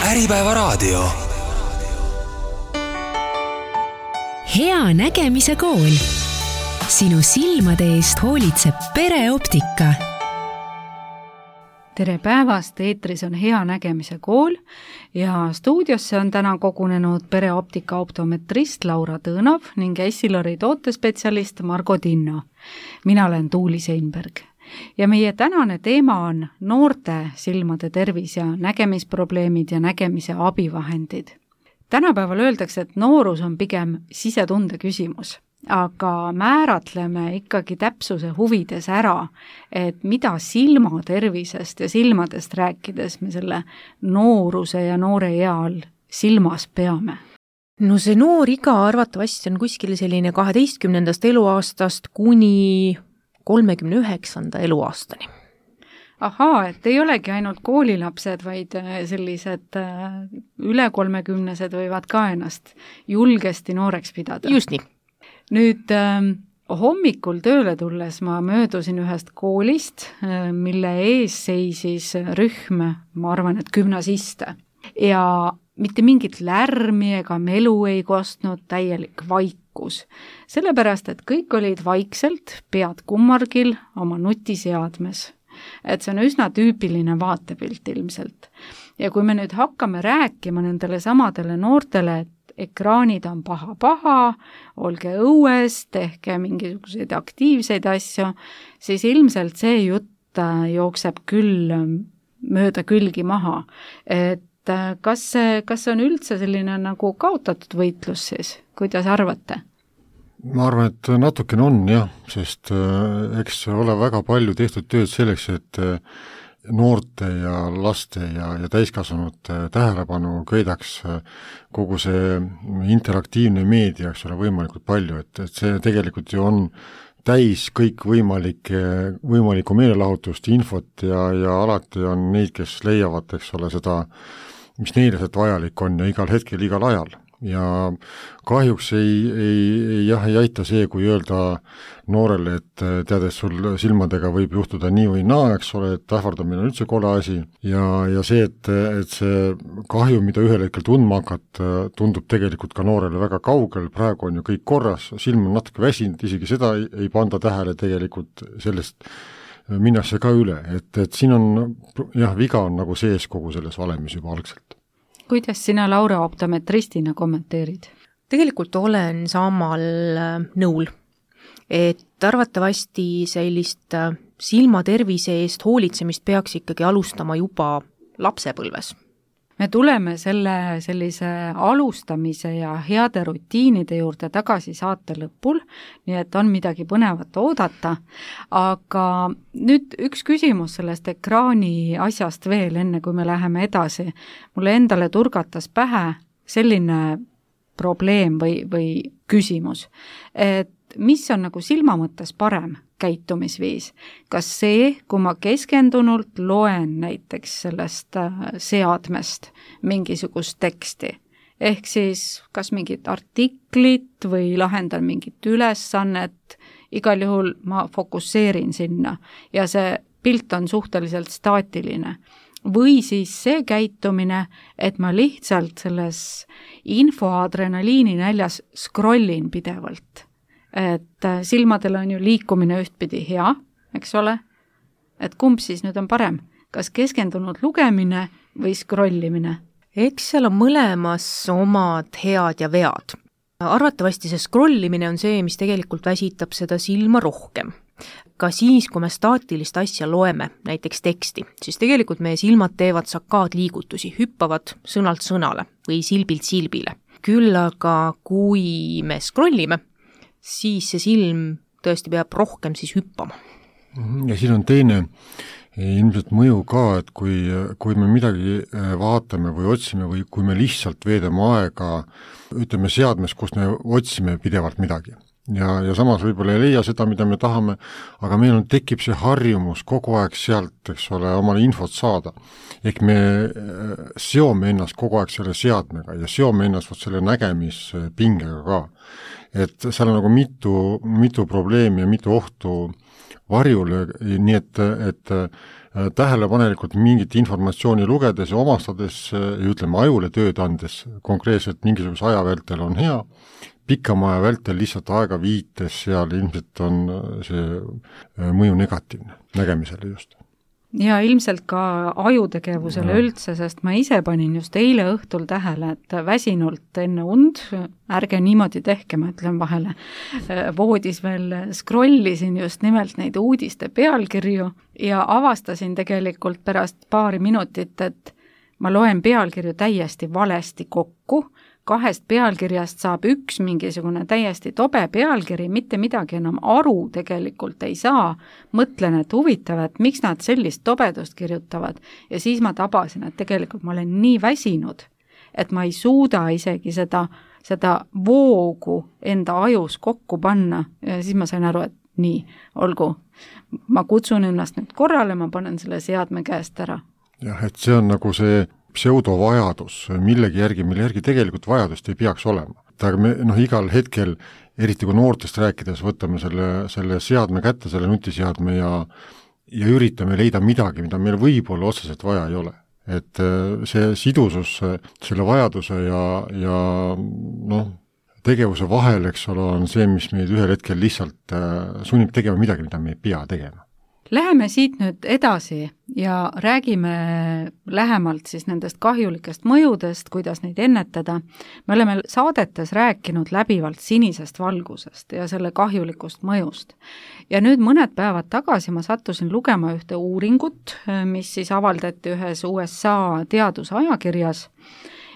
Äripäevaraadio. Hea nägemise kool. Sinu silmade eest hoolitseb Pereoptika. Tere päevast, eetris on Hea nägemise kool ja stuudiosse on täna kogunenud Pereoptika optometrist Laura Tõõnov ning Essilori tootespetsialist Margo Tinno. Mina olen Tuuli Seinberg. Ja meie tänane teema on noorte silmade tervis ja nägemisprobleemid ja nägemise abivahendid. Tänapäeval öeldakse, et noorus on pigem sisetunde küsimus, aga määratleme ikkagi täpsuse huvides ära, et mida silmatervisest ja silmadest rääkides me selle nooruse ja noore ea all silmas peame. No see noor iga arvatavasti on kuskil selline 12. eluaastast kuni 39. eluaastani. Ahaa, et ei olegi ainult koolilapsed, vaid sellised üle 30-sed võivad ka ennast julgesti nooreks pidada. Just nii. Nüüd hommikul tööle tulles ma möödusin ühest koolist, mille ees seisis rühm, ma arvan, et gümnasiste. Ja mitte mingit lärmi ega melu ei kostnud, täielik vaikus. Sellepärast, et kõik olid vaikselt, pead kummargil oma nutiseadmes. Et see on üsna tüüpiline vaatepilt ilmselt. Ja kui me nüüd hakkame rääkima nendele samadele noortele, et ekraanid on paha, olge õues, tehke mingisuguseid aktiivseid asju, siis ilmselt see jutt jookseb küll mööda külgi maha. Et kas see on üldse selline nagu kaotatud võitlus siis? Kuidas arvate? Ma arvan, et natukene on jah, sest eks ole väga palju tehtud tööd selleks, et noorte ja laste ja täiskasvanute tähelepanu köidaks kogu see interaktiivne meedia, eks ole, võimalikult palju, et see tegelikult ju on täis kõik võimalikku meelelahutust, infot ja alati on neid, kes leiavad, eks ole, seda, mis neile sealt vajalik on ja igal hetkel, igal ajal. Ja kahjuks ei aita see, kui öelda noorele, et teades sul silmadega võib juhtuda nii või naa, eks ole, et ähvardamine on üldse kole asi ja see, et see kahju, mida ühel hetkel tundma hakkad, tundub tegelikult ka noorele väga kaugel, praegu on ju kõik korras, silm on natuke väsinud, isegi seda ei panda tähele tegelikult, sellest minnakse ka üle, et siin on, jah, viga on nagu sees kogu selles valemis juba algselt. Kuidas sina Laura optometristina kommenteerid? Tegelikult olen samal nõul, et arvatavasti sellist silmatervise eest hoolitsemist peaks ikkagi alustama juba lapsepõlves. Me tuleme sellise alustamise ja heade rutiinide juurde tagasi saate lõpul, nii et on midagi põnevat oodata, aga nüüd üks küsimus sellest ekraani asjast veel, enne kui me läheme edasi. Mulle endale turgatas pähe selline probleem või küsimus, et mis on nagu silma mõttes parem käitumisviis? Kas see, kui ma keskendunult loen näiteks sellest seadmest mingisugust teksti, ehk siis kas mingit artiklit või lahendan mingit ülesannet, igal juhul ma fokusseerin sinna ja see pilt on suhteliselt staatiline. Või siis see käitumine, et ma lihtsalt selles infoadrenaliini näljas scrollin pidevalt. Et silmadel on ju liikumine ühtpidi hea, eks ole? Et kumb siis nüüd on parem? Kas keskendunud lugemine või scrollimine? Eks seal on mõlemas omad head ja vead. Arvatavasti see scrollimine on see, mis tegelikult väsitab seda silma rohkem. Ka siis, kui me staatilist asja loeme, näiteks teksti, siis tegelikult meie silmad teevad sakaadliigutusi, hüppavad sõnalt sõnale või silbilt silbile. Küll aga kui me scrollime, siis see silm tõesti peab rohkem siis hüppama. Ja siin on teine ilmselt mõju ka, et kui me midagi vaatame või otsime või kui me lihtsalt veedame aega, ütleme seadmes, kus me otsime pidevalt midagi. Ja samas võib-olla ei leia seda, mida me tahame, aga meil tekib see harjumus kogu aeg sealt, eks ole, omale infot saada. Ehk me seome ennast kogu aeg selle seadmega ja seome ennast selle nägemispingega ka. Et seal on nagu mitu probleemi ja mitu ohtu varjule, nii et tähelepanelikult mingit informatsiooni lugedes ja omastades ja ütleme, ajule tööd andes konkreetselt mingisuguse aja vältel on hea, pikama aja vältel lihtsalt aega viites seal ilmselt on see mõju negatiivne nägemisele just. Ja ilmselt ka ajutegevusele üldse, sest ma ise panin just eile õhtul tähele, et väsinult enne und, ärge niimoodi tehke, ma ütlen vahele, voodis veel scrollisin just nimelt neid uudiste pealkirju ja avastasin tegelikult pärast paari minutit, et ma loen pealkirju täiesti valesti kokku, 2 pealkirjast saab üks mingisugune täiesti tobe pealkiri, mitte midagi enam aru tegelikult ei saa, mõtlen, et huvitav, et miks nad sellist tobedust kirjutavad ja siis ma tabasin, et tegelikult ma olen nii väsinud, et ma ei suuda isegi seda voogu enda ajus kokku panna ja siis ma sain aru, et nii, olgu, ma kutsun ennast nüüd korrale, ma panen selle seadme käest ära. Jah, et see on nagu see pseudovajadus millegi järgi, mille järgi tegelikult vajadust ei peaks olema. Aga me igal hetkel, eriti kui noortest rääkides, võtame selle seadme kätte, selle nutiseadme ja üritame leida midagi, mida meil võib-olla otseselt vaja ei ole. Et see sidusus selle vajaduse ja tegevuse vahel, eks ole, on see, mis meid ühel hetkel lihtsalt sunnib tegema midagi, mida me ei pea tegema. Läheme siit nüüd edasi ja räägime lähemalt siis nendest kahjulikest mõjudest, kuidas neid ennetada. Me oleme saadetes rääkinud läbivalt sinisest valgusest ja selle kahjulikust mõjust. Ja nüüd mõned päevad tagasi ma sattusin lugema ühte uuringut, mis siis avaldati ühes USA teadusajakirjas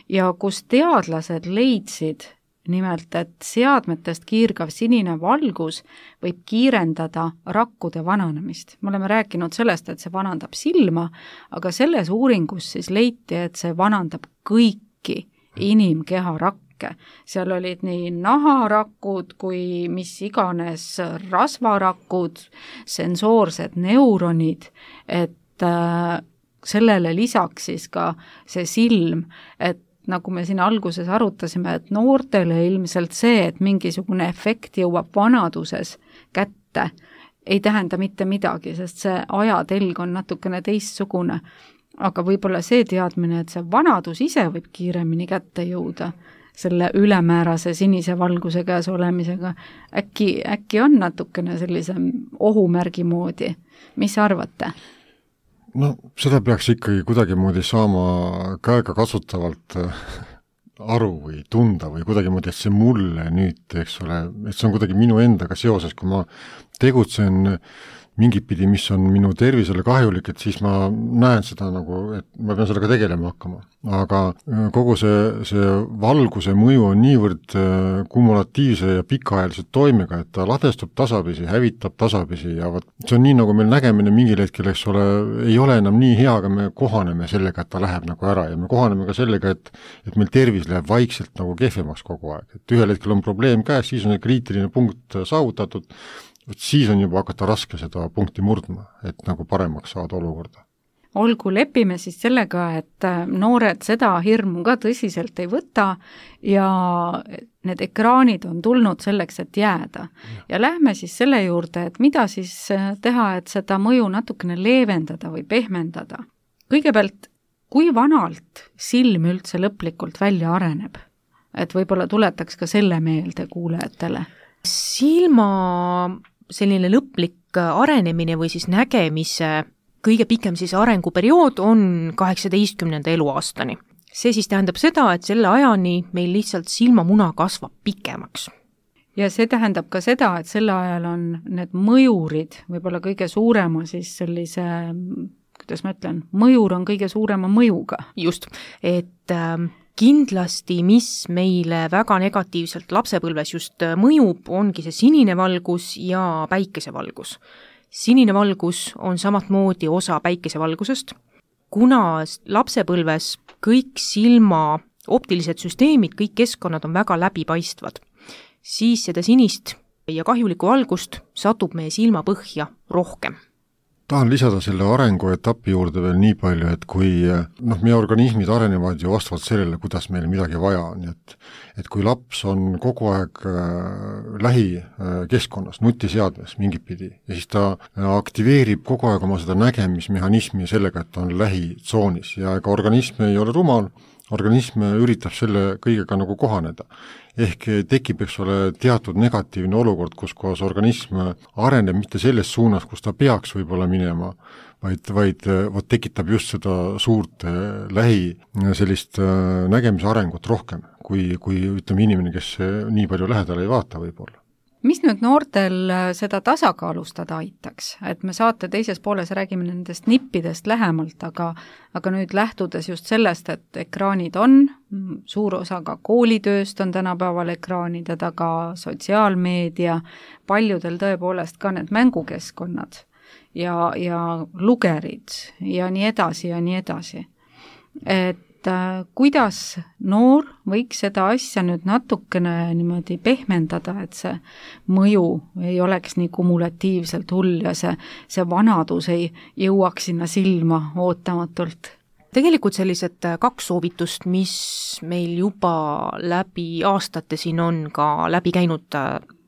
ja kus teadlased leidsid nimelt, et seadmetest kiirgav sinine valgus võib kiirendada rakkude vananemist. Me oleme rääkinud sellest, et see vanandab silma, aga selles uuringus siis leiti, et see vanandab kõiki inimkeha rakke. Seal olid nii naharakud kui mis iganes rasvarakud, sensoorsed neuronid, et sellele lisaks siis ka see silm, et nagu me siin alguses arutasime, et noortele ilmselt see, et mingisugune efekt jõuab vanaduses kätte, ei tähenda mitte midagi, sest see ajatelg on natukene teistsugune. Aga võib-olla see teadmine, et see vanadus ise võib kiiremini kätte jõuda selle ülemäärase sinise valguse käes olemisega, äkki on natukene sellise ohumärgi moodi. Mis arvate? Seda peaks ikkagi kuidagimoodi saama käega kasutavalt aru või tunda või kuidagimoodi, et see mulle nüüd, eks ole, et see on kuidagi minu endaga seoses, kui ma tegutsen mingit pidi, mis on minu tervisele kahjulik, et siis ma näen seda nagu, et ma pean sellega tegelema hakkama. Aga kogu see valguse mõju on niivõrd kumulatiivse ja pikaajaliselt toimega, et ta ladestub tasapisi, hävitab tasapisi ja see on nii, nagu meil nägemine mingil hetkel, eks ole, ei ole enam nii hea, aga me kohaneme sellega, et ta läheb nagu ära ja me kohaneme ka sellega, et meil tervis läheb vaikselt nagu kehvemaks kogu aeg. Et ühel hetkel on probleem käes, siis on kriitiline punkt saavutatud, siis on juba hakata raske seda punkti murdma, et nagu paremaks saada olukorda. Olgu, lepime siis sellega, et noored seda hirmu ka tõsiselt ei võta ja need ekraanid on tulnud selleks, et jääda. Ja lähme siis selle juurde, et mida siis teha, et seda mõju natukene leevendada või pehmendada. Kõigepealt, kui vanalt silm üldse lõplikult välja areneb? Et võib-olla tuletaks ka selle meelde kuulajatele. Silma selline lõplik arenemine või siis nägemise kõige pikem siis arenguperiood on 18. eluaastani. See siis tähendab seda, et selle ajani meil lihtsalt silmamuna kasvab pikemaks. Ja see tähendab ka seda, et selle ajal on need mõjurid võib-olla kõige suurema siis sellise, kuidas ma ütlen, mõjur on kõige suurema mõjuga. Just, et kindlasti, mis meile väga negatiivselt lapsepõlves just mõjub, ongi see sinine valgus ja päikesevalgus. Sinine valgus on samatmoodi osa päikesevalgusest, kuna lapsepõlves kõik silma optilised süsteemid, kõik keskkonnad on väga läbipaistvad, siis seda sinist ja kahjulikku valgust satub meie silmapõhja rohkem. tahan lisada selle arenguetapi juurde veel nii palju, et kui meie organismid arenevad ju vastavalt sellele, kuidas meil midagi vaja on, et kui laps on kogu aeg lähikeskkonnas, nutiseadmes mingit pidi, ja siis ta aktiveerib kogu aeg oma seda nägemismehhanismi sellega, et ta on lähitsoonis ja ega organism ei ole rumal, organism üritab selle kõigega nagu kohaneda. Ehk tekib, eks ole, teatud negatiivne olukord, kus kohas organism areneb mitte selles suunas, kus ta peaks võib-olla minema, vaid tekitab just seda suurt lähi sellist nägemise arengut rohkem, kui ütleme inimene, kes nii palju lähedale ei vaata võib-olla. Mis nüüd noortel seda tasakaalustada aitaks? Et me saate teises pooles räägime nendest nippidest lähemalt, aga nüüd lähtudes just sellest, et ekraanid on, suur osa ka koolitööst on tänapäeval ekraanide taga, sotsiaalmeedia, paljudel tõepoolest ka need mängukeskkonnad ja lugerid ja nii edasi ja nii edasi. Et kuidas noor võiks seda asja nüüd natukene niimoodi pehmendada, et see mõju ei oleks nii kumulatiivselt hull ja see vanadus ei jõuaks sinna silma ootamatult? Tegelikult sellised 2 soovitust, mis meil juba läbi aastate siin on ka läbi käinud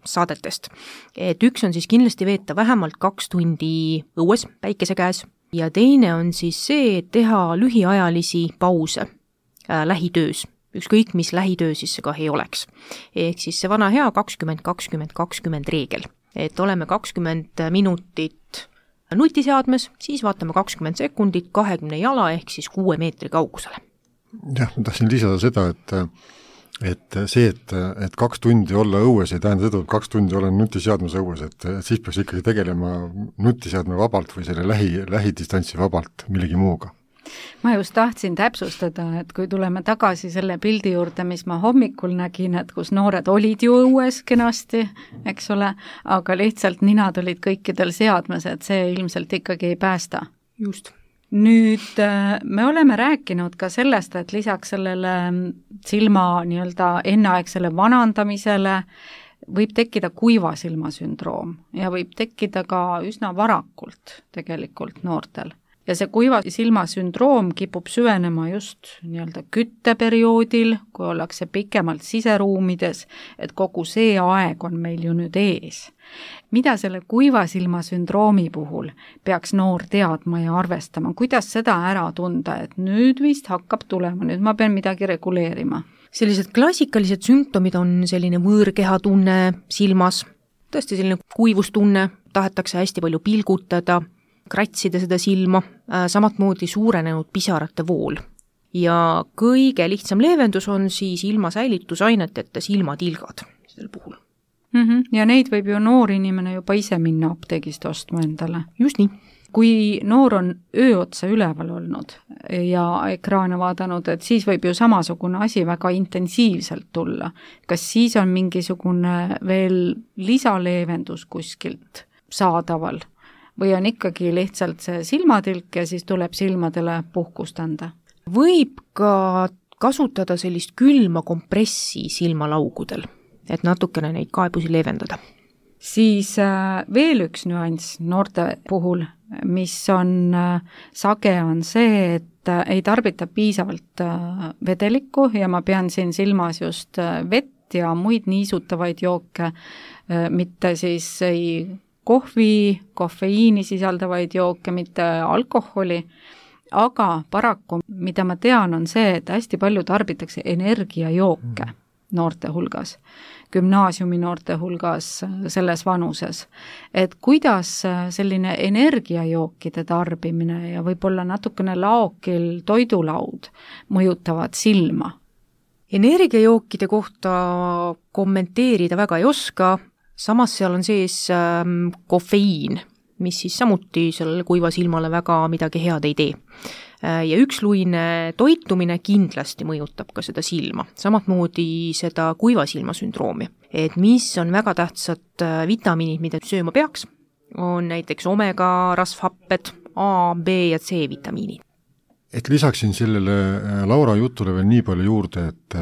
saadetest. Et üks on siis kindlasti veeta vähemalt 2 tundi õues päikese käes, ja teine on siis see, et teha lühiajalisi pause lähitöös, ükskõik mis lähitöö siis see ka ei oleks. Ehk siis see vana hea 20-20-20 reegel, et oleme 20 minutit nutiseadmes, siis vaatame 20 sekundit 20 jala ehk siis 6 meetri kaugusele. Jah, ma tahtsin lisada seda, et see, et 2 tundi olla õues ei tähenda seda, et 2 tundi olen nutiseadmes õues, et siis peaks ikkagi tegelema nutiseadme vabalt või selle lähidistantsi vabalt millegi muuga. Ma just tahtsin täpsustada, et kui tuleme tagasi selle pildi juurde, mis ma hommikul nägin, et kus noored olid ju õues kenasti, eks ole, aga lihtsalt ninad olid kõikidel seadmes, et see ilmselt ikkagi ei päästa. Just. Nüüd me oleme rääkinud ka sellest, et lisaks sellele silma nii-öelda enneaegsele vanandamisele võib tekkida kuiva silmasündroom ja võib tekkida ka üsna varakult tegelikult noortel. Ja see kuiva silmasündroom kipub süvenema just nii-öelda kütteperioodil, kui ollakse pikemalt siseruumides, et kogu see aeg on meil ju nüüd ees. Mida selle kuiva silmasündroomi puhul peaks noor teadma ja arvestama? Kuidas seda ära tunda, et nüüd vist hakkab tulema, nüüd ma pean midagi reguleerima? Sellised klassikalised sümptomid on selline võõrkehatunne silmas, tõesti selline kuivustunne, tahetakse hästi palju pilgutada, kratsida seda silma, samat moodi suurenenud pisarate vool. Ja kõige lihtsam leevendus on siis ilma säilitusaineteta silmatilgad sellel puhul. Ja neid võib ju noor inimene juba ise minna apteegist ostma endale. Just nii. Kui noor on öö otsa üleval olnud ja ekraane vaadanud, et siis võib ju samasugune asi väga intensiivselt tulla. Kas siis on mingisugune veel lisaleevendus kuskilt saadaval? Või on ikkagi lihtsalt see silmatilk ja siis tuleb silmadele puhkust anda? Võib ka kasutada sellist külma kompressi silmalaugudel, et natukene neid kaebusi leevendada. Siis veel üks nüanss noorte puhul, mis on sage, on see, et ei tarbita piisavalt vedelikku ja ma pean siin silmas just vett ja muid niisutavaid jooke, mitte siis ei kohvi, kofeiini sisaldavaid jooke, mitte alkoholi, aga paraku, mida ma tean, on see, et hästi palju tarbitakse energiajooke noorte hulgas, gümnaasiumi noorte hulgas selles vanuses. Et kuidas selline energiajookide tarbimine ja võib-olla natukene laokil toidulaud mõjutavad silma? Energiajookide kohta kommenteerida väga ei oska, samas seal on sees kofeiin, mis siis samuti sellele kuiva silmale väga midagi head ei tee. Ja üksluine toitumine kindlasti mõjutab ka seda silma, samat moodi seda kuiva silmasündroomi. Et mis on väga tähtsad vitamiinid, mida sööma peaks, on näiteks omega rasvhapped, A, B ja C vitamiinid. Et lisaksin sellele Laura jutule veel nii palju juurde, et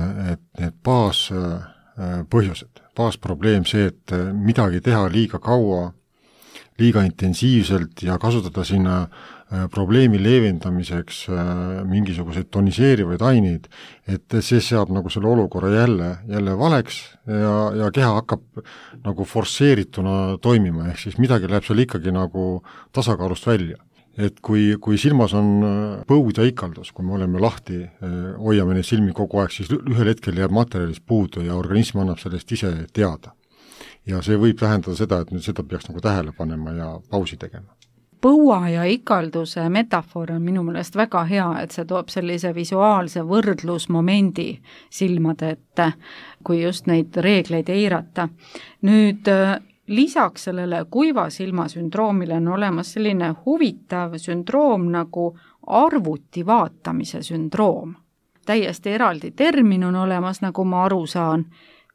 need baaspõhjused, baasprobleem see, et midagi teha liiga kaua liiga intensiivselt ja kasutada sinna probleemi leevendamiseks mingisuguseid toniseerivaid aineid, et see seab nagu selle olukorra jälle valeks ja keha hakkab nagu forsseerituna toimima, ehk siis midagi läheb seal ikkagi nagu tasakaalust välja. Et kui silmas on põud ja ikaldus, kui me oleme lahti, hoiame neid silmi kogu aeg, siis ühel hetkel jääb materjalist puudu ja organism annab sellest ise teada. Ja see võib tähendada seda, et nüüd seda peaks nagu tähele panema ja pausi tegema. Põua ja ikalduse metafoor on minu meelest väga hea, et see toob sellise visuaalse võrdlusmomendi silmade ette, kui just neid reegleid eirata. Nüüd lisaks sellele kuiva silma sündroomile on olemas selline huvitav sündroom nagu arvuti vaatamise sündroom. Täiesti eraldi termin on olemas, nagu ma aru saan.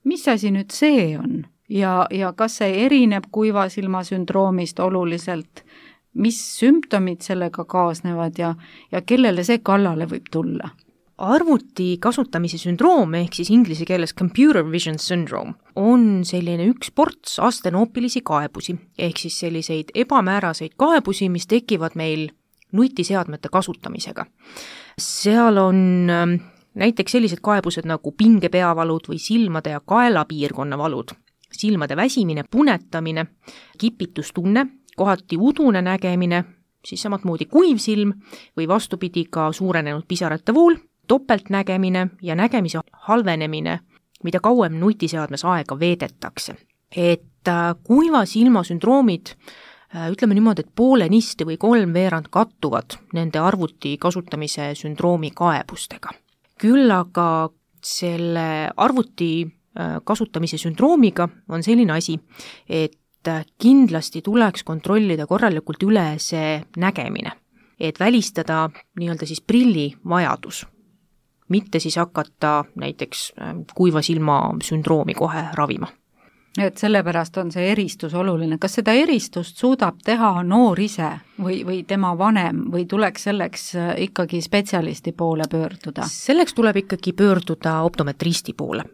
Mis asi nüüd see on? Ja kas see erineb kuiva silma sündroomist oluliselt? Mis sümptomid sellega kaasnevad ja kellele see kallale võib tulla? Arvuti kasutamise sündroom, ehk siis inglise keeles computer vision syndrome, on selline üks ports astenoopilisi kaebusi, ehk siis selliseid ebamääraseid kaebusi, mis tekivad meil nutiseadmete kasutamisega. Seal on näiteks sellised kaebused nagu pingepeavalud või silmade ja kaelapiirkonna valud, silmade väsimine, punetamine, kipitustunne, kohati udune nägemine, siis samatmoodi kuiv silm või vastupidi ka suurenenud pisarate vool, topeltnägemine ja nägemise halvenemine, mida kauem nutiseadmes aega veedetakse. Et kuiva silma sündroomid, ütleme niimoodi, et poolenisti või 3/4 kattuvad nende arvuti kasutamise sündroomi kaebustega. Küll aga selle arvuti kasutamise sündroomiga on selline asi, et kindlasti tuleks kontrollida korralikult üle see nägemine, et välistada nii-öelda siis prilli vajadus, mitte siis hakata näiteks kuiva silma sündroomi kohe ravima. Et sellepärast on see eristus oluline. Kas seda eristust suudab teha noor ise või tema vanem või tuleks selleks ikkagi spetsialisti poole pöörduda? Selleks tuleb ikkagi pöörduda optometristi poole.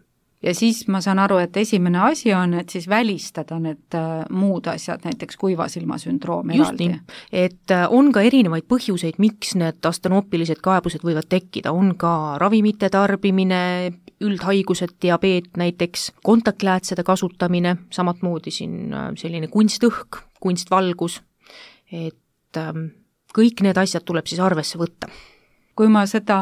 Ja siis ma saan aru, et esimene asi on, et siis välistada need muud asjad, näiteks kuiva silma sündroom eraldi. Just nii, et on ka erinevaid põhjuseid, miks need astenoopilised kaebused võivad tekkida. On ka ravimite tarbimine, üldhaigused, diabeet näiteks, kontaktläätsede kasutamine, samatmoodi siin selline kunstõhk, kunstvalgus, et kõik need asjad tuleb siis arvesse võtta. Kui ma seda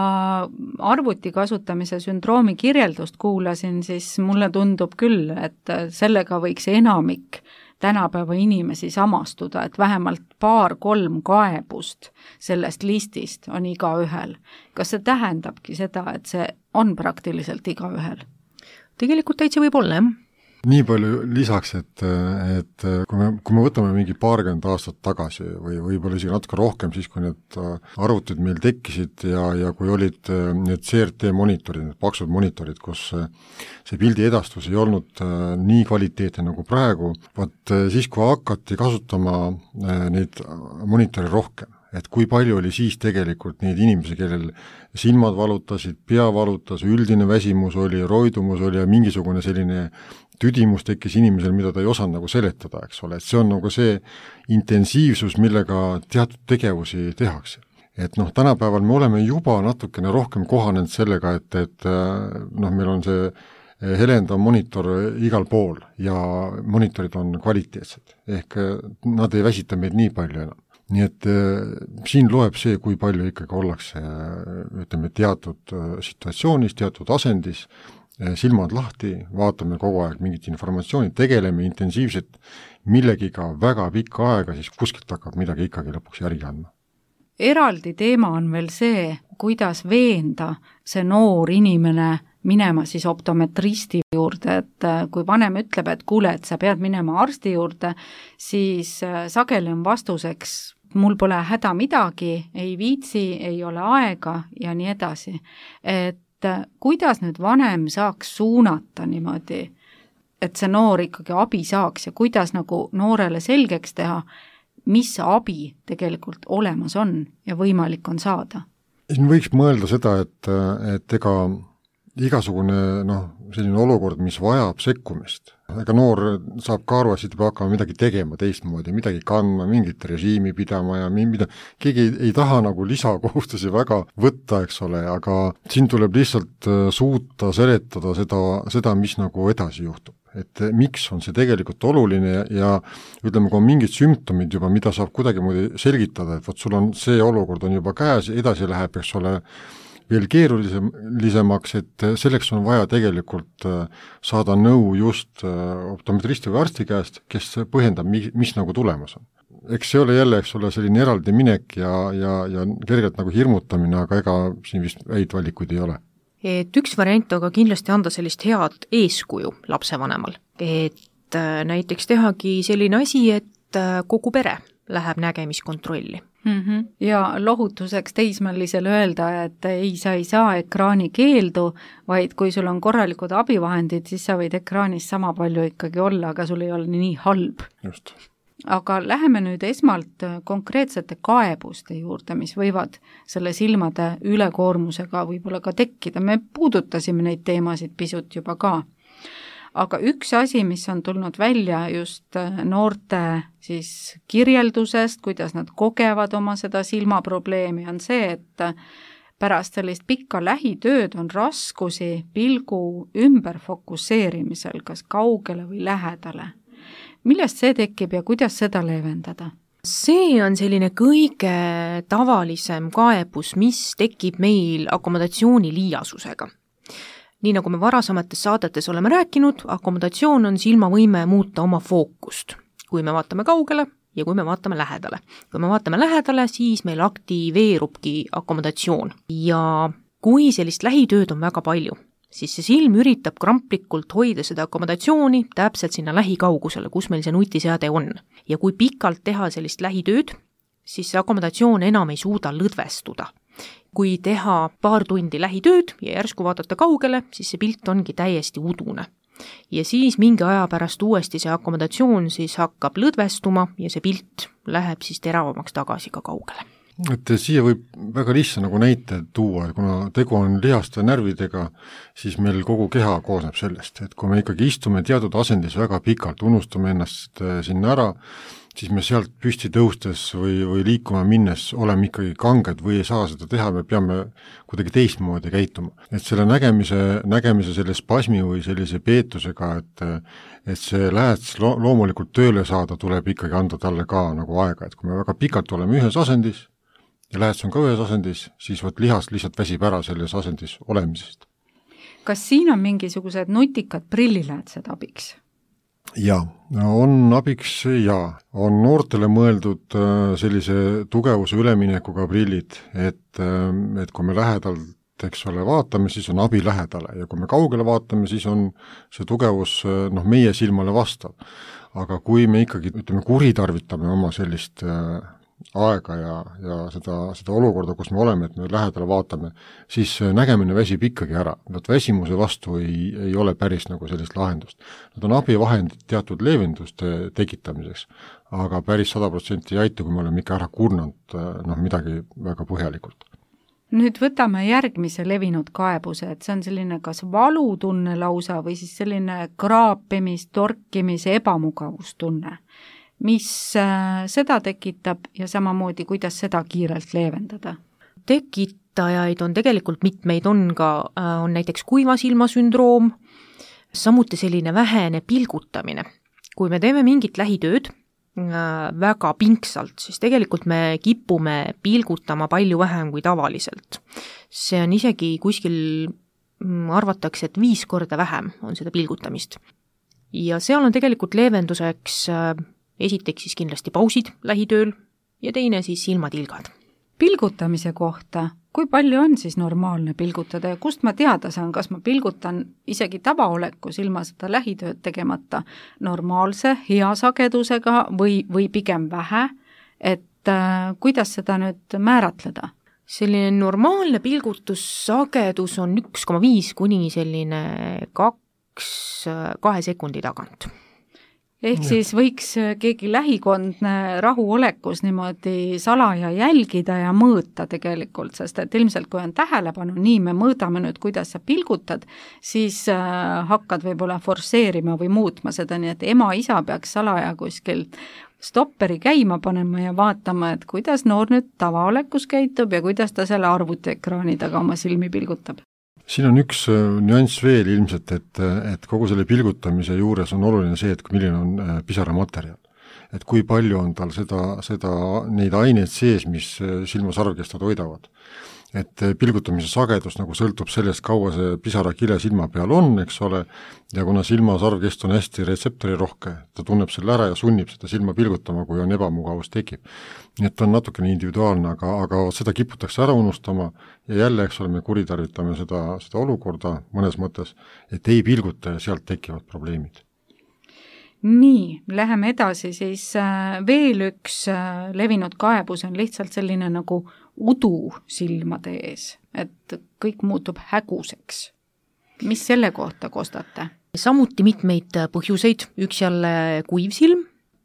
arvuti kasutamise sündroomi kirjeldust kuulasin, siis mulle tundub küll, et sellega võiks enamik tänapäeva inimesi samastuda, et vähemalt 2-3 kaebust sellest listist on igaühel. Kas see tähendabki seda, et see on praktiliselt igaühel? Tegelikult täitsa võib olla, jah. Nii palju lisaks, et kui me võtame mingi 20 aastat tagasi või võib-olla isegi natuke rohkem, siis kui need arvutid meil tekkisid ja kui olid need CRT monitorid, need paksud monitorid, kus see pildi edastus ei olnud nii kvaliteetne nagu praegu, vaat siis kui hakati kasutama neid monitore rohkem, et kui palju oli siis tegelikult neid inimesi, kellel silmad valutasid, pea valutas, üldine väsimus oli, roidumus oli ja mingisugune selline tüdimus tekkis inimesel, mida ta ei osanud nagu seletada, eks ole, et see on nagu see intensiivsus, millega teatud tegevusi tehakse. Et tänapäeval me oleme juba natukene rohkem kohanenud sellega, et meil on see helendav monitor igal pool ja monitorid on kvaliteetsed, ehk nad ei väsita meid nii palju enam. Nii et siin loeb see, kui palju ikkagi ollakse, ütleme, teatud situatsioonis, teatud asendis, silmad lahti, vaatame kogu aeg mingit informatsiooni, tegeleme intensiivselt millegiga väga pikka aega, siis kuskilt hakkab midagi ikkagi lõpuks järgi andma. Eraldi teema on veel see, kuidas veenda see noor inimene minema siis optometristi juurde, et kui vanem ütleb, et kuule, et sa pead minema arsti juurde, siis sageli on vastuseks, mul pole häda midagi, ei viitsi, ei ole aega ja nii edasi. Et kuidas nüüd vanem saaks suunata niimoodi, et see noor ikkagi abi saaks ja kuidas nagu noorele selgeks teha, mis abi tegelikult olemas on ja võimalik on saada? Siin võiks mõelda seda, et ega igasugune selline olukord, mis vajab sekkumist. Ega noor saab ka aru, et siit peab hakkama midagi tegema teistmoodi, midagi kandma, mingit režiimi pidama ja keegi ei taha nagu lisakohustusi väga võtta, eks ole, aga siin tuleb lihtsalt suuta seletada seda, mis nagu edasi juhtub. Et miks on see tegelikult oluline ja ütleme, kui on mingid sümptomid juba, mida saab kuidagimoodi selgitada, et sul on see olukord on juba käes, edasi läheb, eks ole, veel keerulisemaks, et selleks on vaja tegelikult saada nõu just optometristi või arsti käest, kes põhjendab, mis nagu tulemas on. Eks see ole jälle, eks ole, selline eraldi minek ja kergelt nagu hirmutamine, aga ega siin vist häid valikuid ei ole. Et üks variant on ka kindlasti anda sellist head eeskuju lapsevanemal, et näiteks tehagi selline asi, et kogu pere läheb nägemiskontrolli. Ja lohutuseks teismelisele öelda, et ei saa ekraani keeldu, vaid kui sul on korralikud abivahendid, siis sa võid ekraanis sama palju ikkagi olla, aga sul ei ole nii halb. Just. Aga läheme nüüd esmalt konkreetsete kaebuste juurde, mis võivad selle silmade ülekoormusega võib-olla ka tekkida. Me puudutasime neid teemasid pisut juba ka. Aga üks asi, mis on tulnud välja just noorte siis kirjeldusest, kuidas nad kogevad oma seda silmaprobleemi, on see, et pärast sellist pikka lähitööd on raskusi pilgu ümber fokusseerimisel, kas kaugele või lähedale. Millest see tekib ja kuidas seda leevendada? See on selline kõige tavalisem kaebus, mis tekib meil akomodatsiooni liiasusega. Nii nagu me varasemates saadetes oleme rääkinud, akomodatsioon on silmavõime muuta oma fookust, kui me vaatame kaugele ja kui me vaatame lähedale. Kui me vaatame lähedale, siis meil aktiveerubki akomodatsioon ja kui sellist lähitööd on väga palju, siis see silm üritab kramplikult hoida seda akomodatsiooni täpselt sinna lähikaugusele, kus meil see nutiseade on. Ja kui pikalt teha sellist lähitööd, siis see akomodatsioon enam ei suuda lõdvestuda. Kui teha paar tundi lähitööd ja järsku vaadata kaugele, siis see pilt ongi täiesti udune. Ja siis mingi aja pärast uuesti see akomodatsioon siis hakkab lõdvestuma ja see pilt läheb siis teravamaks tagasi ka kaugele. Et siia võib väga lihtsa nagu näite tuua, et kuna tegu on lihaste närvidega, siis meil kogu keha koosneb sellest, et kui me ikkagi istume teatud asendis väga pikalt, unustame ennast sinna ära, siis me sealt püsti tõustes või liikuma minnes oleme ikkagi kanged või ei saa seda teha, me peame kuidagi teistmoodi käituma. Et selle nägemise selle spasmi või sellise peetusega, et see lähets loomulikult tööle saada, tuleb ikkagi anda talle ka nagu aega, et kui me väga pikalt oleme ühes asendis, ja lähets on ka ühes asendis, siis lihas lihtsalt väsib ära selles asendis olemisest. Kas siin on mingisugused nutikad prilliläätsed abiks? Jaa, on abiks ja on noortele mõeldud sellise tugevuse üleminekuga prillid, et kui me lähedalt, eks ole, vaatame, siis on abi lähedale ja kui me kaugele vaatame, siis on see tugevus meie silmale vastav. Aga kui me ikkagi, kuritarvitame oma sellist aega ja seda olukorda, kus me oleme, et me lähedale vaatame, siis nägemine väsib ikkagi ära. Väsimuse vastu ei ole päris nagu sellist lahendust. Nad on abivahendid teatud leevenduste tekitamiseks, aga päris 100% ei aita, kui me oleme ikka ära kurnanud midagi väga põhjalikult. Nüüd võtame järgmise levinud kaebuse, et see on selline kas valutunne lausa või siis selline kraapimis, torkimis, ebamugavustunne. Mis seda tekitab ja samamoodi, kuidas seda kiirelt leevendada? Tekitajaid on tegelikult mitmeid, on näiteks kuiva silma sündroom, samuti selline vähene pilgutamine. Kui me teeme mingit lähitööd väga pingsalt, siis tegelikult me kipume pilgutama palju vähem kui tavaliselt. See on isegi kuskil arvatakse, et 5 korda vähem on seda pilgutamist. Ja seal on tegelikult leevenduseks esiteks siis kindlasti pausid lähitööl ja teine siis silmatilgad. Pilgutamise kohta, kui palju on siis normaalne pilgutada ja kust ma teada saan, kas ma pilgutan isegi tavaolekus ilma seda lähitööd tegemata normaalse, hea sagedusega või pigem vähe, et kuidas seda nüüd määratleda? Selline normaalne pilgutussagedus on 1,5 kuni selline 2 sekundi tagant. ehk siis võiks keegi lähikondne rahuolekus niimoodi salaja jälgida ja mõõta tegelikult, sest et ilmselt kui on tähelepanu, nii me mõõdame nüüd, kuidas sa pilgutad, siis hakkad võib-olla forsseerima või muutma seda, nii et ema-isa peaks salaja kuskil stopperi käima panema ja vaatama, et kuidas noor nüüd tavaolekus käitub ja kuidas ta selle arvutiekraani taga oma silmi pilgutab. Siin on üks nüanss veel ilmselt, et kogu selle pilgutamise juures on oluline see, et milline on pisaramaterjal. Et kui palju on tal neid aineid sees, mis silmasarvkestad hoidavad. Et pilgutamise sagedus nagu sõltub sellest, kaua see pisarakile silma peal on, eks ole, ja kuna silmasarvkest on hästi retseptorirohke, ta tunneb selle ära ja sunnib seda silma pilgutama, kui on ebamugavus tekib. Nii et on natukene individuaalne, aga seda kiputakse ära unustama ja jälle, eks ole, me kuritarvitame seda olukorda mõnes mõttes, et ei pilguta ja sealt tekivad probleemid. Nii, läheme edasi, siis veel üks levinud kaebus on lihtsalt selline nagu udu silmade ees, et kõik muutub häguseks. Mis selle kohta kostate? Samuti mitmeid põhjuseid, üks jälle kuiv silm.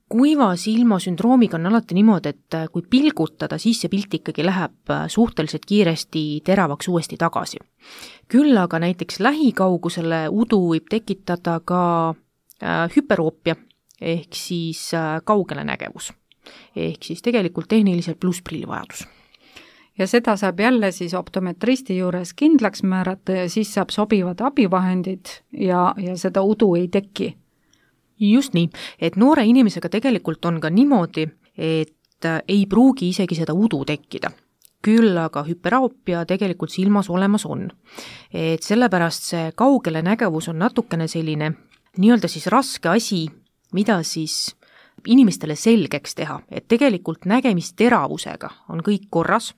Kuiva silma sündroomiga on alati niimoodi, et kui pilgutada, siis see pilt ikkagi läheb suhteliselt kiiresti teravaks uuesti tagasi. Küll aga näiteks lähikaugusele udu võib tekitada ka hüperoopia ehk siis kaugele nägevus. Ehk siis tegelikult tehniliselt plussprillivajadus. Ja seda saab jälle siis optometristi juures kindlaks määrata ja siis saab sobivad abivahendid ja seda udu ei teki. Just nii, et noore inimesega tegelikult on ka niimoodi, et ei pruugi isegi seda udu tekkida. Küll aga hüperoopia tegelikult silmas olemas on. Et sellepärast see kaugele nägevus on natukene selline nii-öelda siis raske asi, mida siis inimestele selgeks teha, et tegelikult nägemisteravusega on kõik korras,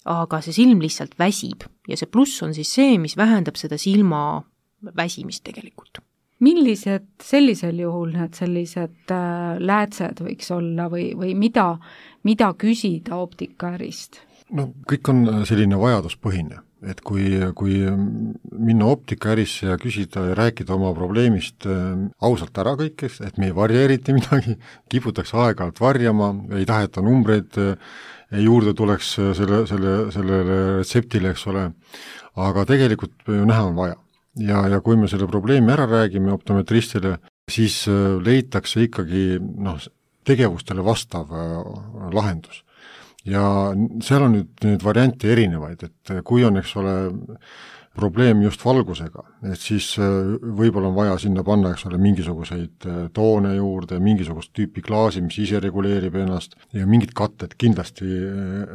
aga see silm lihtsalt väsib ja see pluss on siis see, mis vähendab seda silma väsimist tegelikult. Millised sellisel juhul need sellised läätsed võiks olla või mida küsida optikaärist? No kõik on selline vajaduspõhine, et kui minna optikaärisse ja küsida ja rääkida oma probleemist ausalt ära kõik, et me ei varja eriti midagi, kiputakse aeg-ajalt varjama, ei taheta numbreid juurde tuleks sellele retseptile, eks ole, aga tegelikult ju näha on vaja. Ja kui me selle probleemi ära räägime optometristile, siis leitakse ikkagi tegevustele vastav lahendus. Ja seal on nüüd variante erinevaid, et kui on, eks ole, probleem just valgusega, et siis võib-olla on vaja sinna panna, eks ole, mingisuguseid toone juurde, mingisugust tüüpi klaasi, mis ise reguleerib ennast ja mingid katted kindlasti,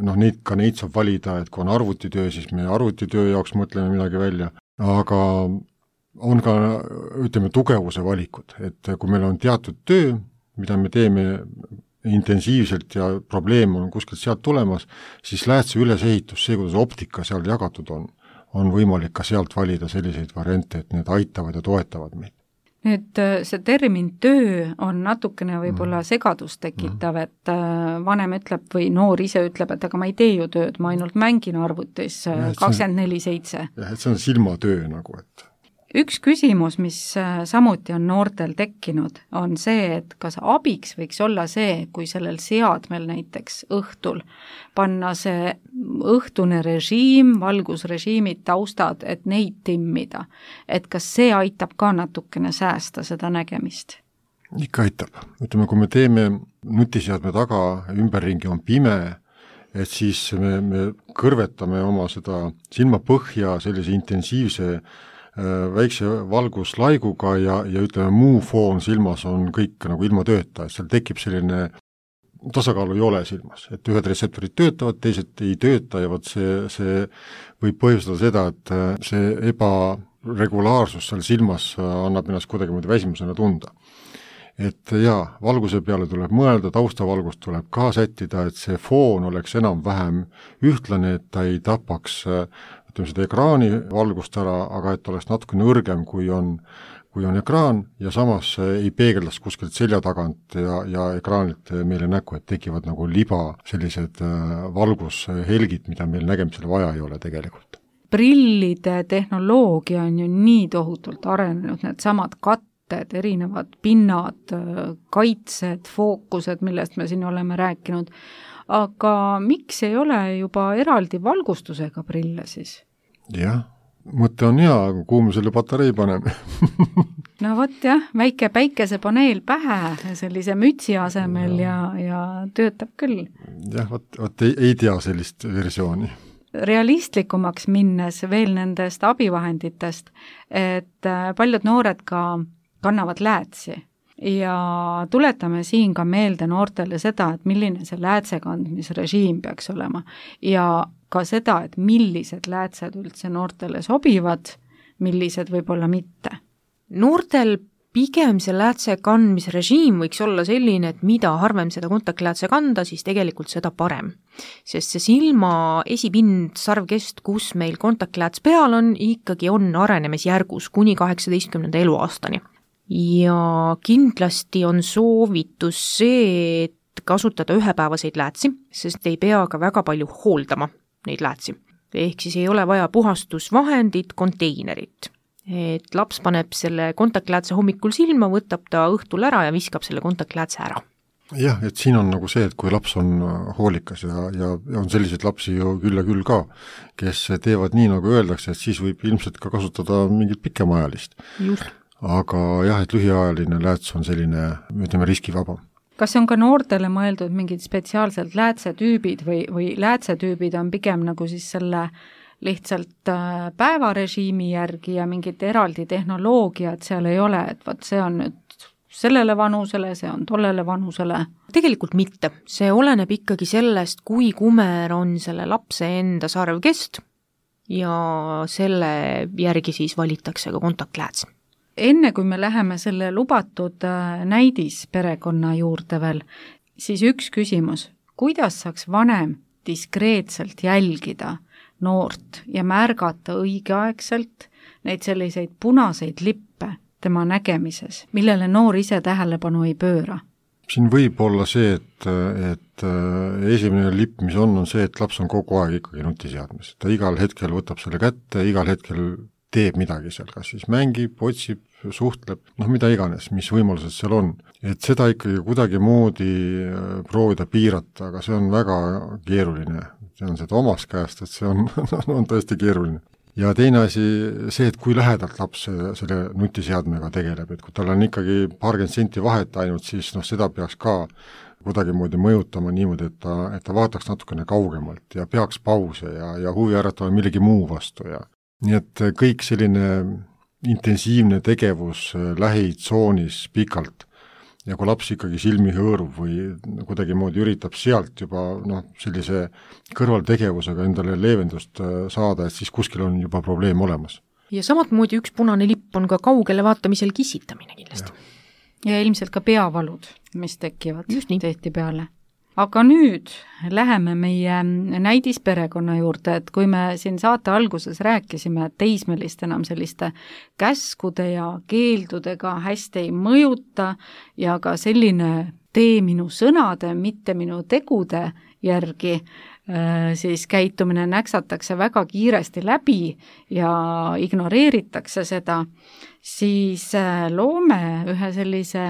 neid saab valida, et kui on arvutitöö, siis me arvutitöö jaoks mõtleme midagi välja, aga on ka, ütleme, tugevuse valikud, et kui meil on teatud töö, mida me teeme intensiivselt ja probleem on kuskilt sealt tulemas, siis läätse ülesehitus, see, kuidas optika seal jagatud on võimalik ka sealt valida selliseid variante, et need aitavad ja toetavad meid. Nüüd see termin töö on natukene võib-olla segadust tekitav, et vanem ütleb või noor ise ütleb, et aga ma ei tee ju tööd, ma ainult mängin arvutis 24/7. Jah, et see on silmatöö nagu, et üks küsimus, mis samuti on noortel tekkinud, on see, et kas abiks võiks olla see, kui sellel seadmel näiteks õhtul panna see õhtune režiim, valgusrežiimid, taustad, et neid timmida. Et kas see aitab ka natukene säästa seda nägemist? Ikka aitab. Ütleme, kui me teeme nutiseadme taga, ümberringi on pime, et siis me kõrvetame oma seda silmapõhja sellise intensiivse väikse valguslaiguga ja ütleme, muu foon silmas on kõik nagu ilma tööta, et seal tekib selline tasakaalu ei ole silmas, et ühed retseptorid töötavad, teised ei tööta ja see võib põhjustada seda, et see ebaregulaarsus seal silmas annab ennast kuidagi väsimusena tunda. Et jaa, valguse peale tuleb mõelda, taustavalgust tuleb ka sättida, et see foon oleks enam-vähem ühtlane, et ta ei tapaks seda ekraani valgust ära, aga et oleks natuke nõrgem, kui on ekraan ja samas ei peegeldas kuskilt selja tagant ja ekraanilt meile näkku, et tekivad nagu liba sellised valgushelgid, mida meil nägemisele vaja ei ole tegelikult. Prillide tehnoloogia on ju nii tohutult arenenud, need samad suhted, erinevad pinnad, kaitsed, fookused, millest me siin oleme rääkinud, aga miks ei ole juba eraldi valgustusega prille siis? Jah, mõte on hea, aga kuhu me selle patarei paneme? No vot jah, väike päikesepaneel pähe sellise mütsi asemel ja töötab küll. Jah, vot ei tea sellist versiooni. Realistlikumaks minnes veel nendest abivahenditest, et paljud noored ka kannavad läätsi ja tuletame siin ka meelde noortele seda, et milline see läätsekandmisrežiim peaks olema ja ka seda, et millised läätsed üldse noortele sobivad, millised võib-olla mitte. Noortel pigem see läätse kandmisrežiim võiks olla selline, et mida harvem seda kontaktläätse kanda, siis tegelikult seda parem. Sest see silma esipind, sarvkest, kus meil kontaktlääts peal on, ikkagi on arenemisjärgus kuni 18. eluaastani. Ja kindlasti on soovitus see, et kasutada ühepäevaseid läätsi, sest ei pea ka väga palju hooldama neid läätsi. Ehk siis ei ole vaja puhastusvahendit, konteinerit. Et laps paneb selle kontaktläätse hommikul silma, võtab ta õhtul ära ja viskab selle kontaktläätse ära. Jah, et siin on nagu see, et kui laps on hoolikas ja on selliseid lapsi ju küll ja küll ka, kes teevad nii, nagu öeldakse, et siis võib ilmselt ka kasutada mingit pikemaajalist. Just. Aga jah, et lühiajaline lääts on selline, ütleme, riskivaba. Kas on ka noortele mõeldud mingid spetsiaalselt läätsetüübid või läätsetüübid on pigem nagu siis selle lihtsalt päevarežiimi järgi ja mingit eraldi tehnoloogiat seal ei ole, et võt see on nüüd sellele vanusele, see on tollele vanusele? Tegelikult mitte. See oleneb ikkagi sellest, kui kumer on selle lapse enda sarvkest ja selle järgi siis valitakse ka kontaktlääts. Enne kui me läheme selle lubatud näidisperekonna juurde veel, siis üks küsimus, kuidas saaks vanem diskreetselt jälgida noort ja märgata õigeaegselt neid selliseid punaseid lippe tema nägemises, millele noor ise tähelepanu ei pööra? Siin võib olla see, et esimene lipp, mis on see, et laps on kogu aeg ikkagi nutiseadmes. Ta igal hetkel võtab selle kätte, igal hetkel teeb midagi seal, kas siis mängib, otsib, suhtleb, mida iganes, mis võimalused seal on. Et seda ikkagi kuidagi moodi proovida piirata, aga see on väga keeruline. See on seda omast käest, et see on tõesti keeruline. Ja teine asi see, et kui lähedalt laps selle nutiseadmega tegeleb, et kui tal on ikkagi paarkümmend senti vahet ainult, siis seda peaks ka kuidagi moodi mõjutama niimoodi, et ta vaataks natukene kaugemalt ja peaks pause ja huvi äratama millegi muu vastu ja nii et kõik selline intensiivne tegevus lähitsoonis pikalt ja kui laps ikkagi silmi hõõrub või kuidagi moodi üritab sealt juba sellise kõrvaltegevusega endale leevendust saada, et siis kuskil on juba probleem olemas. Ja samat moodi üks punane lipp on ka kaugele vaatamisel kisitamine kindlasti. Ja ilmselt ka peavalud, mis tekivad tehti peale. Aga nüüd läheme meie näidisperekonna juurde, et kui me siin saate alguses rääkisime, et teismelist enam selliste käskude ja keeldudega hästi ei mõjuta ja ka selline tee minu sõnade, mitte minu tegude järgi, siis käitumine näksatakse väga kiiresti läbi ja ignoreeritakse seda, siis loome ühe sellise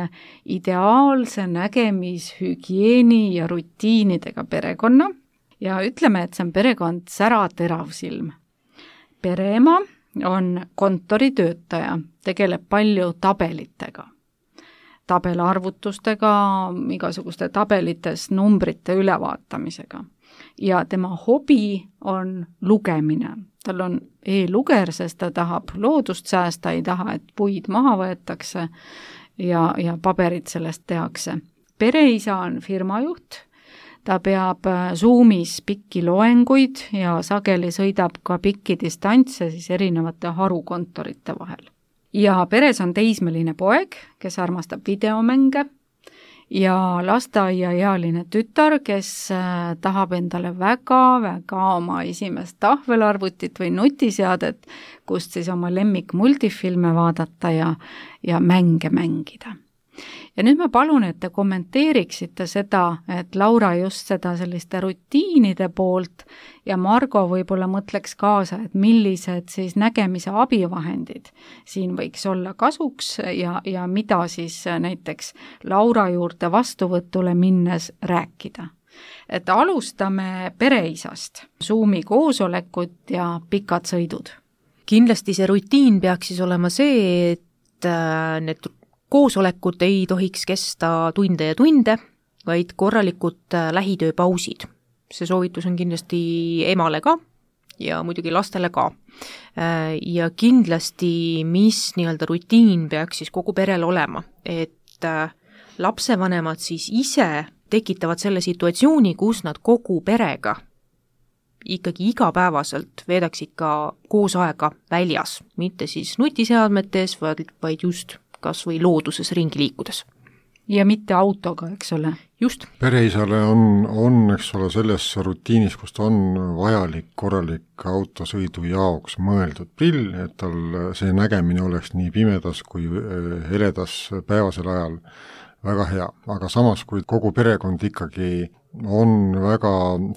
ideaalse nägemishügieeni ja rutiinidega perekonna ja ütleme, et see on perekond säraterav silm. Pereema on kontoritöötaja, tegeleb palju tabelitega, tabelarvutustega, igasuguste tabelites numbrite ülevaatamisega. Ja tema hobi on lugemine. Tal on e-luger, sest ta tahab loodust säästa, ei taha, et puid maha võetakse ja paberid sellest tehakse. Pereisa on firmajuht, ta peab Zoomis pikki loenguid ja sageli sõidab ka pikki distantse siis erinevate harukontorite vahel. Ja peres on teismeline poeg, kes armastab videomänge ja lasteaiaealine tütar, kes tahab endale väga-väga oma esimest tahvelarvutit või nutiseadet, kust siis oma lemmik multifilme vaadata ja mänge mängida. ja nüüd ma palun, et te kommenteeriksite seda, et Laura just seda selliste rutiinide poolt ja Margo võib-olla mõtleks kaasa, et millised siis nägemise abivahendid siin võiks olla kasuks ja mida siis näiteks Laura juurde vastuvõtule minnes rääkida. Et alustame pereisast, Zoomi koosolekut ja pikad sõidud. Kindlasti see rutiin peaks siis olema see, et need koosolekud ei tohiks kesta tunde ja tunde, vaid korralikud lähitööpausid. See soovitus on kindlasti emale ka ja muidugi lastele ka. Ja kindlasti, mis nii-öelda rutiin peaks siis kogu perel olema, et lapsevanemad siis ise tekitavad selle situatsiooni, kus nad kogu perega ikkagi igapäevaselt veedaksid ka koos aega väljas, mitte siis nutiseadmetes, vaid just kas või looduses ringi liikudes. Ja mitte autoga, eks ole? Just. Pereisale on, eks ole, selles rutiinis, kus ta on vajalik korralik autosõidu jaoks mõeldud prill, et tal see nägemine oleks nii pimedas kui heledas päevasel ajal väga hea, aga samas, kui kogu perekond ikkagi on väga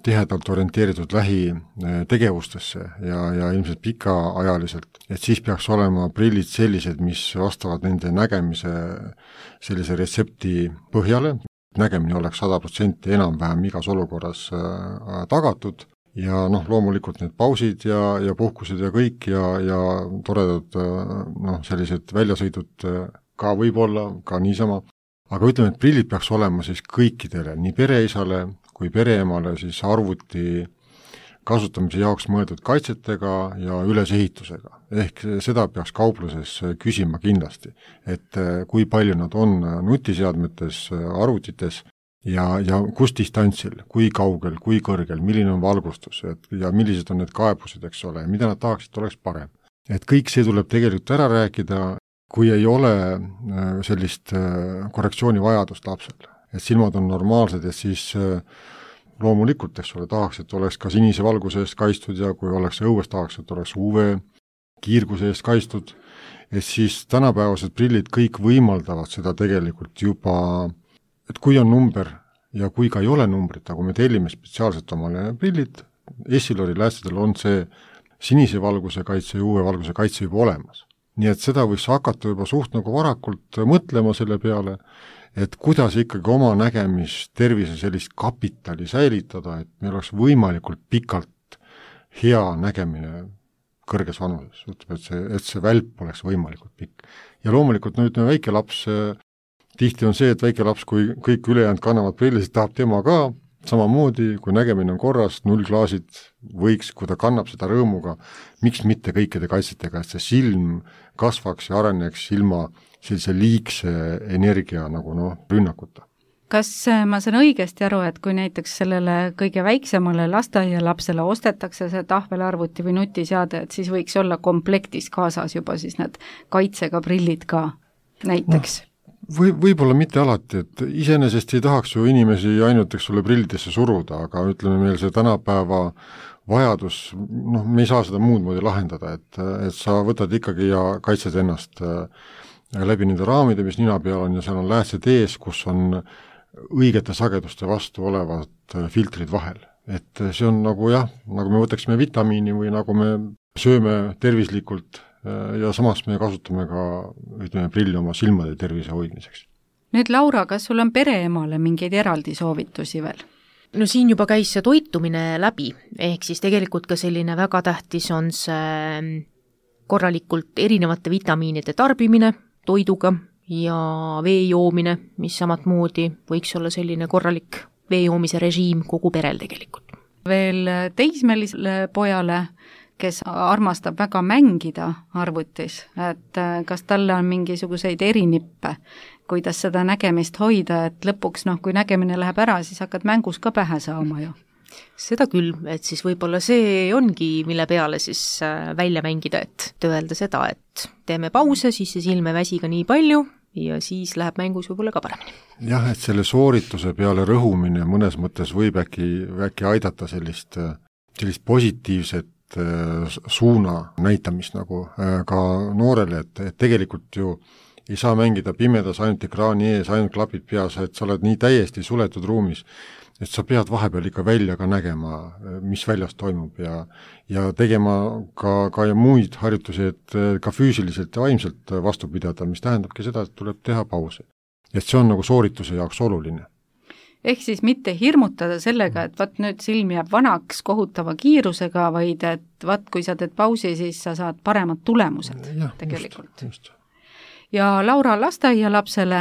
tihedalt orienteeritud lähitegevustesse ja ilmselt pikaajaliselt, et siis peaks olema prillid sellised, mis vastavad nende nägemise sellise retsepti põhjale, nägemine oleks 100% enam-vähem igas olukorras tagatud ja loomulikult need pausid ja puhkused ja kõik ja toredad sellised väljasõidud ka võib-olla, ka niisama. Aga ütleme, et prillid peaks olema siis kõikidele, nii pereisale kui pereemale siis arvuti kasutamise jaoks mõeldud kaitsetega ja ülesehitusega. Ehk seda peaks kaupluses küsima kindlasti, et kui palju nad on nutiseadmetes, arvutites ja kus distantsil, kui kaugel, kui kõrgel, milline on valgustus ja millised on need kaebused, eks ole, mida nad tahaksid, oleks parem. Et kõik see tuleb tegelikult ära rääkida, kui ei ole sellist korrektsiooni vajadust lapsel, et silmad on normaalsed ja siis loomulikult, eks ole, tahaks, et oleks ka sinise valguse eest kaitstud ja kui oleks õues, tahaks, et oleks UV kiirguse eest kaitstud, et siis tänapäevased prillid kõik võimaldavad seda tegelikult juba, et kui on number ja kui ka ei ole numbrit, aga me tellime spetsiaalselt omale prillid, Essilori läästidel on see sinise valguse kaitse ja UV valguse kaitse juba olemas. Nii et seda võiks hakata juba suht nagu varakult mõtlema selle peale, et kuidas ikkagi oma nägemis tervise sellist kapitali säilitada, et meil oleks võimalikult pikalt hea nägemine kõrges vanuses, et see välp oleks võimalikult pikk. Ja loomulikult väike laps, tihti on see, et väike laps, kui kõik ülejäänud kannavad prillid, tahab tema ka, samamoodi, kui nägemine on korras, 0 klaasid võiks, kui ta kannab seda rõõmuga, miks mitte kõikide kaitsetega, et see silm kasvaks ja areneks ilma sellise liigse energia nagu rünnakuta. Kas ma saan õigesti aru, et kui näiteks sellele kõige väiksemale lasteaialapsele ostetakse see tahvelarvuti või nutiseade, et siis võiks olla komplektis kaasas juba siis need kaitsega prillid ka näiteks? Võib-olla mitte alati, et iseenesest ei tahaks ju inimesi ainult, eks ole, prillidesse suruda, aga ütleme meil see tänapäeva vajadus, me ei saa seda muud moodi lahendada, et sa võtad ikkagi ja kaitsed ennast läbi nende raamide, mis nina peal on ja seal on läätsed ees, kus on õigete sageduste vastu olevad filtrid vahel. Et see on nagu nagu me võtaksime vitamiini või nagu me sööme tervislikult ja samas me kasutame ka, ütleme, prilli oma silmade tervise hoidmiseks. Nüüd Laura, kas sul on pereemale mingeid eraldi soovitusi veel? No siin juba käis see toitumine läbi, ehk siis tegelikult ka selline väga tähtis on see korralikult erinevate vitamiinide tarbimine toiduga ja vee joomine, mis samat moodi võiks olla selline korralik vee joomise režiim kogu perel tegelikult. Veel teismelisele pojale, kes armastab väga mängida arvutis, et kas talle on mingisuguseid erinippe, kuidas seda nägemist hoida, et lõpuks, kui nägemine läheb ära, siis hakkad mängus ka pähe saama ju. Seda küll, et siis võib-olla see ongi, mille peale siis välja mängida, et öelda seda, et teeme pause, siis see silm ei väsi ka nii palju ja siis läheb mängus võib-olla ka paremini. Jah, et selle soorituse peale rõhumine mõnes mõttes võib äkki aidata sellist positiivset suuna näitamist nagu ka noorele, et tegelikult ju ei saa mängida pimedas ainult ekraani ees, ainult klapid peas, et sa oled nii täiesti suletud ruumis, et sa pead vahepeal ikka välja ka nägema, mis väljas toimub ja tegema ka muid harjutusi, et ka füüsiliselt ja vaimselt vastu pidada, mis tähendabki seda, et tuleb teha pause. Et see on nagu soorituse jaoks oluline. Ehk siis mitte hirmutada sellega, et vaat nüüd silm jääb vanaks kohutava kiirusega, vaid et vaat kui sa teed pausi, siis sa saad paremad tulemused tegelikult. Just. Ja Laura, lasteaialapsele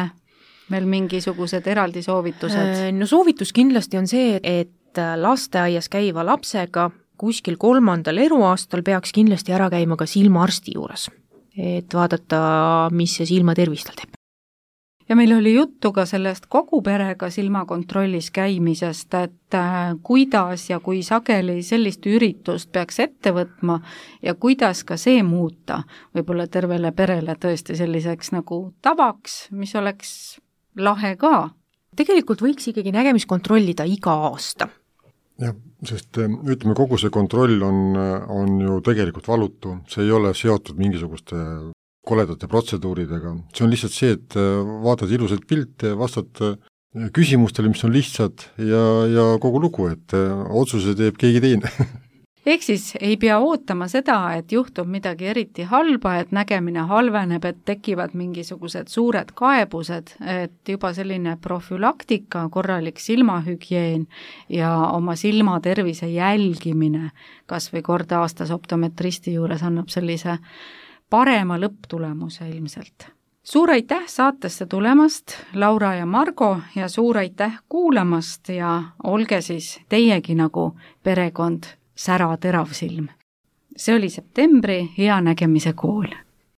meil mingisugused eraldi soovitused? No soovitus kindlasti on see, et lasteaias käiva lapsega kuskil 3. eluaastal peaks kindlasti ära käima ka silmaarsti juures, et vaadata, mis see silmatervis tal teeb. Ja meil oli juttu ka sellest kogu perega silmakontrollis käimisest, et kuidas ja kui sageli sellist üritust peaks ette võtma ja kuidas ka see muuta võib-olla tervele perele tõesti selliseks nagu tavaks, mis oleks lahe ka. Tegelikult võiks ikkagi nägemist kontrollida iga aasta. Jah, sest ütleme, kogu see kontroll on ju tegelikult valutu, see ei ole seotud mingisuguste koledate protseduuridega. See on lihtsalt see, et vaatad ilusat pilte, vastad küsimustele, mis on lihtsad ja kogu lugu, et otsuse teeb keegi teine. Ehk siis ei pea ootama seda, et juhtub midagi eriti halba, et nägemine halveneb, et tekivad mingisugused suured kaebused, et juba selline profülaktika, korralik silmahügieen ja oma silmatervise jälgimine kas või kord aastas optometristi juures annab sellise parema lõpptulemuse ilmselt. Suur aitäh saatesse tulemast, Laura ja Margo, ja suur aitäh kuulamast ja olge siis teiegi nagu perekond sära terav silm. See oli septembri Hea nägemise kool.